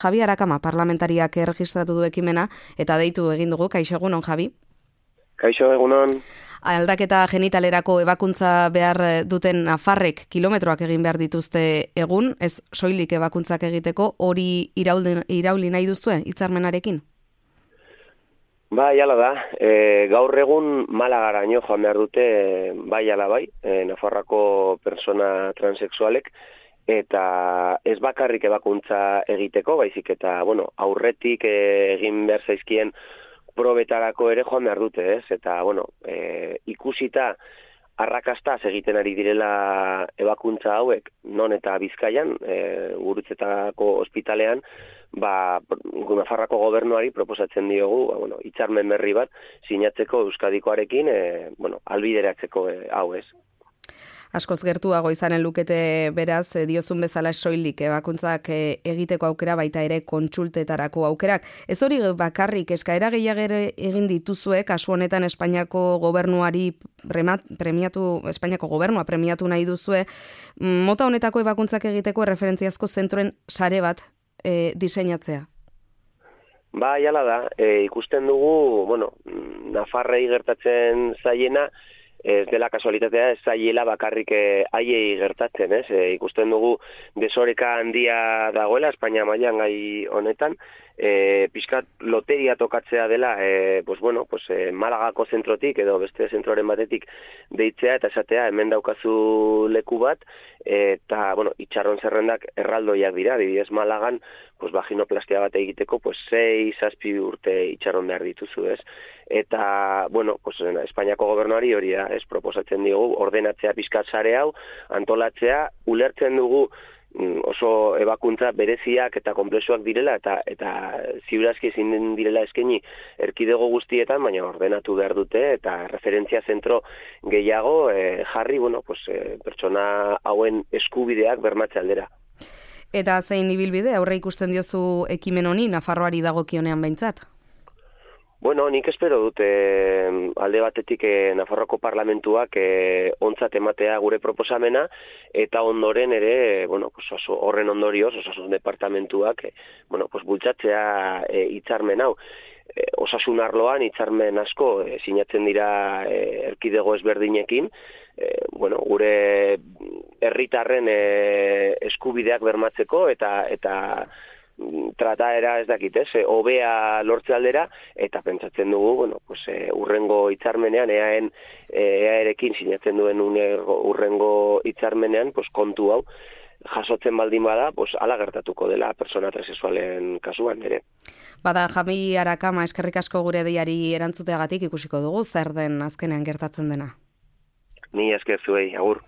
Javi Arakama parlamentariak erregistratu du ekimena eta deitu egin dugu. Kaixo, egunon, Javi? Kaixo, egunon. Aldaketa genitalerako ebakuntza behar duten nafarrek kilometroak egin behar dituzte egun, ez soilik ebakuntzak egiteko, hori irauli nahi duzue hitzarmenarekin? Bai, ala da. Gaur egun Malagaraino joan behar dute, bai ala bai, Nafarroako persona transexualek, eta ez bakarrik ebakuntza egiteko, baizik eta, aurretik egin behar zaizkien probetarako ere joan behar dute, ez? Eta, ikusita arrakastaz egiten ari direla ebakuntza hauek, non eta Bizkaian, Gurutzetako ospitalean, Nafarroako gobernuari proposatzen diogu, hitzarmen berri bat sinatzeko Euskadikoarekin, albideratzeko hau ez. Askoz gertuago izanen lukete beraz, diozun bezala soilik ebakuntzak egiteko aukera, baita ere kontsultetarako aukerak. Ez hori bakarrik, eskaera gehiago egin dituzue, kasu honetan Espainiako gobernuari Espainiako gobernua premiatu nahi duzue, mota honetako ebakuntzak egiteko referentziazko zentroen sare bat diseinatzea. Bai, hala da, ikusten dugu, Nafarrei gertatzen zaiena, ez dela kasualitatea, ez zaiela bakarrik haiei gertatzen, ez? Ikusten dugu desoreka handia dagoela, Espainia mailan gai honetan, pixkat loteria tokatzea dela, Malagako zentrotik edo beste zentroren batetik deitzea eta esatea hemen daukazu leku bat, eta, itxarron zerrendak erraldoiak dira, adibidez Malagan, vaginoplastia bat egiteko, 6-7 urte itxarron behar dituzu, ez? Eta, Espainiako gobernuari hori da, ez, proposatzen diogu, ordenatzea pixkat sare hau, antolatzea, ulertzen dugu oso ebakuntza bereziak eta konplexuak direla, eta ziurazki ezin direla eskaini erkidego guztietan, baina ordenatu behar dute, eta referentzia zentro gehiago jarri, pertsona hauen eskubideak bermatze aldera. Eta zein ibilbide, aurre ikusten diozu ekimen honi, Nafarroari dagokionean behintzat? Nik espero dut alde batetik Nafarroako parlamentuak ontzat ematea gure proposamena, eta ondoren ere, horren ondorioz, osasun departamentuak, bultzatzea hitzarmen hau. Osasun arloan hitzarmen asko sinatzen dira erkidego ezberdinekin, gure herritarren eskubideak bermatzeko eta trataera ez dakit, hobea lortze aldera, eta pentsatzen dugu, urrengo hitzarmenean, EAerekin sinatzen duen urrengo hitzarmenean, kontu hau, jasotzen baldin bada, hala gertatuko dela persona transexualen kasuan ere. Bada, Javi Arakama, eskerrik asko gure deiari erantzuteagatik ikusiko dugu, zer den azkenean gertatzen dena. Ni esker zuei, agur.